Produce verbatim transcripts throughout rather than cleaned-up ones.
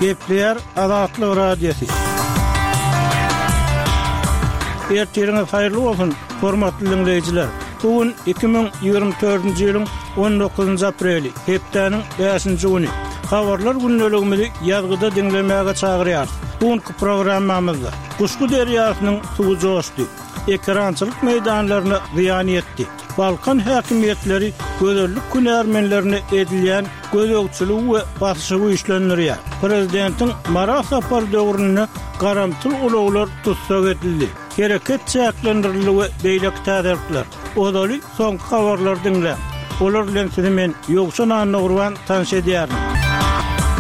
Gepleýär Azatlyk Radiosy. Ertiriňiz haýyrly bolsun, hormatly dinleýjiler. Bu gün iki müň ýigrimi dördünji ýylyň on dokuzynjy apreli, hepdäniň bäşinji güni. Habarlar gündeligimizi ýazgyda diňlemäge çagyrýarys. Bu günki programmamyzda Guşgy derýasynyň suwy joşdy, ekerançylyk meýdanlaryna zyýan ýetdi. Balkan häkimiýetleri gözellik hünärmenlerine edilýän gözegçiligi we basyşy güýçlendirýär. Prezidentiň Mara sapary döwründe garamtyl ulaglar tussag edildi. Hereket çäklendirildi we beýleki täzelikler. Ozaly soňky habarlary diňläň. Olar bilen sizi men Ýowşan Annagurban tanyş edýärin.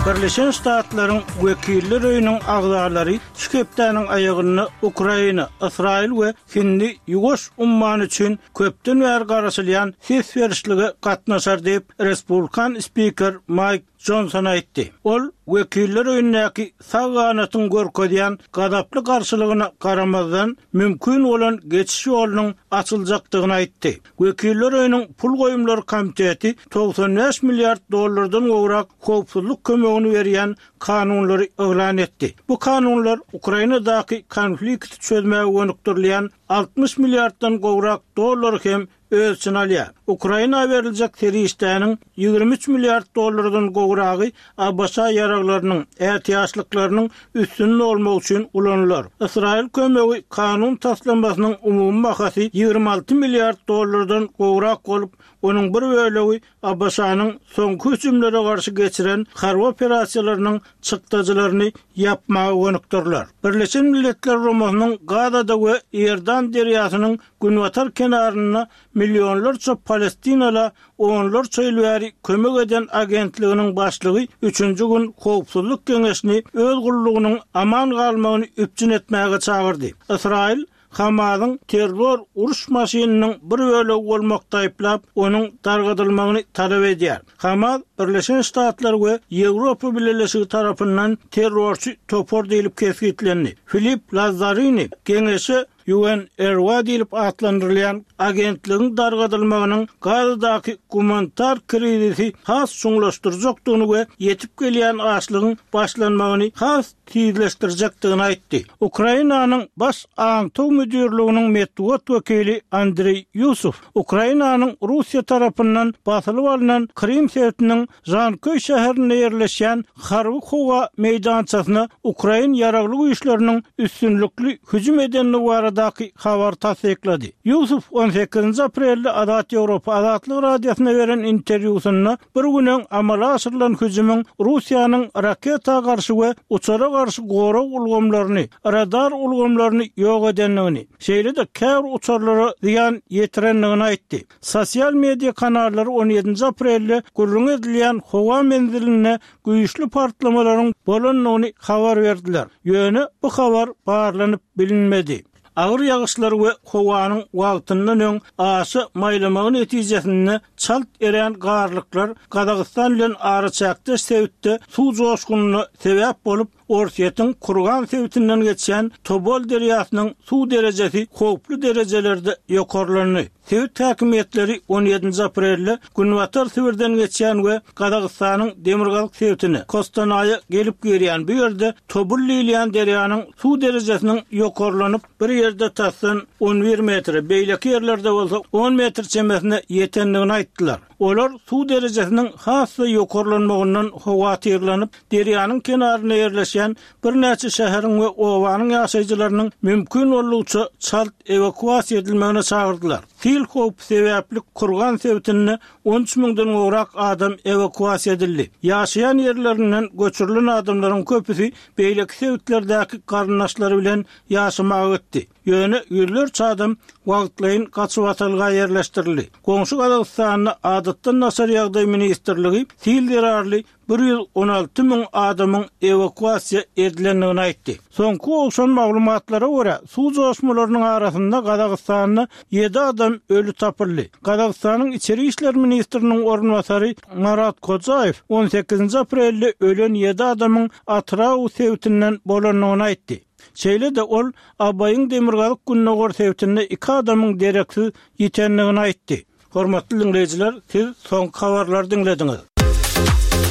Birleşen Ştatlaryň Wekiller öýüniň agzalary şu hepdäniň aýagynda Ukraina, Ysraýyl we Hindi Ýuwaş ummany üçin köpden bäri garaşylýan ses berişlige gatnaşar diýip, respublikan spiker Maýk Jonson aýtdy. Ol Wekiller öýündäki sag ganatyň görkezýän gazaply garşylygyna garamazdan mümkin bolan geçiş ýolunyň açyljakdygyny aýtdy. Wekiller öýüniň pul goýumlary komiteti togsan bäş milliard dollardan gowrak howpsuzlyk kömegini berýän kanunlary yglan etdi. Bu kanunlar Ukrainadaky konflikti çözmäge gönükdirilýän altmyş milliarddan gowrak dollar hem öz içine alýar. Ukraina beriljek serişdäniň ýigrimi üç milliard dollardan gowragy A B Ş ýaraglarynyň ätiýaçlyklarynyň üstünde olmak üçin ulanylar. Ysraýyl kömegi kanun taslamasynyň umumy bahasy ýigrimi alty milliard dollardan gowrak bolup, onuň bir bölegi A B Ş-nyň soňky hüjümlere garşy geçiren harby operasiýalarynyň çykdajylaryny ýapmaga gönükdiriler. Birleşen Milletler Guramasynyň Gazada we Iordan derýasynyň günbatar kenarynda millionlarça Palestinala onlarça ýyl bäri kömek eden agentliginiň başlygy üçünji gün howpsuzlyk geňeşini öz gullugynyň aman galmagyny üpjün etmäge çagyrdy. Ysraýyl Hamasyň terror uruş maşynynyň bir bölegi bolmak taýyplap, onuň dargadylmagyny talap edýär. Hamas Birleşen Ştatlar we Ýewropa Bileleşigi tarapyndan terrorçy topar diýilip kesgitlendi. Filip Lazzarini geňeşe U N R W A diýilip atlandyrylýan agentligiň dargadylmagynyň Gazadaky gumanitar krizisi has çuňlaşdyrjakdygyny we ýetip gelýän açlygyň başlanmagyny has tizleşdirjekdigini aýtdy. Ukrainanyň baş aňtaw müdirliginiň metbugat wekili Andreý Ýusuf Ukrainanyň Russiýa tarapyndan basylyp alnan Krym sebitiniň Janköý şäherinde ýerleşýän harby howa meýdançasyna Ukrain ýaragly güýçleriniň üstünlikli hüjüm edendigi baradaky habar tassyklady. Ýusuf on sekizinji aprelde Azat Ýewropa Azatlyk Radiosyna beren interwýusynda bir gün öň amala aşyrylan hüjümiň Russiýanyň raketa garşy we uçara garşy gorag ulgamlaryny, radar ulgamlaryny ýok edendigini, şeýle-de käbir uçarlara zyýan ýetirendigini aýtdy. Sosial media kanallary on ýedinji aprelde gürrüň edilýän howa menzilinde güýçli partlamalaryň bolandygyny habar berdiler. Ýöne bu habar barlanyp bilinmedi. Agyr ýagyşlar we howanyň wagtyndan öň aşa maýlamagy netijesinde çalt erän garlyklar Gazagystan bilen araçäkdeş sebitde suw joşgunyna sebäp bolup, Orsýetiň Kurgan sebitinden geçýän Tobol derýasynyň suw derejesi howply derejelerde ýokarlandy. Sebit häkimiýetleri on ýedinji aprelde Günbatar Sibirden geçýän we Gazagystanyň Demirgazyk sebitine Kostanaýa gelip girýän bu ýerde Tobul diýilýän derýanyň suw derejesiniň ýokarlanyp bir ýerde tasdan on bir metre, beýleki ýerlerde bolsa on metr çemesine ýetendigini aýtdylar. Olar suw derejesiniň has-da ýokarlanmagyndan howatyrlanyp, derýanyň kenarynda ýerleşýän birnäçe şäheriň we obanyň ýaşaýjylarynyň mümkin boldugyça çalt ewakuasiýa edilmegine çagyrdylar. Sil howpy sebäpli Kurgan sebitinde on üç müňden gowrak adam ewakuasiýa edildi. Ýaşaýan ýerlerinden göçürilen adamlaryň köpüsi beýleki sebitlerdäki garyndaşlary bilen ýaşamaga gitdi. Ýöne ýüzlerçe adam wagtlaýyn gaçybatalga ýerleşdirildi. Goňşy Gazagystanda Adatdan daşary ýagdaý ministrligi sil zerarly bir ýüz on alty müň adamyň ewakuasiýa edilendigini aýtdy. Soňky gowşan maglumatlara görä, suw joşmalarynyň arasynda Gazagystanda ýedi adam öli tapyldy. Gazagystanyň Içeri işler ministriniň orunbasary Marat Kojaýew on sekizinji aprelde ölen ýedi adamyň Atyrau sebitinden bolandygyny aýtdy. Şeýle-de ol Abaýyň Demirgazyk Gündogar sebitinde iki adamyň dereksiz ýitendigini aýtdy. Hormatly dinleýjiler, siz soňky habarlary diňlediňiz.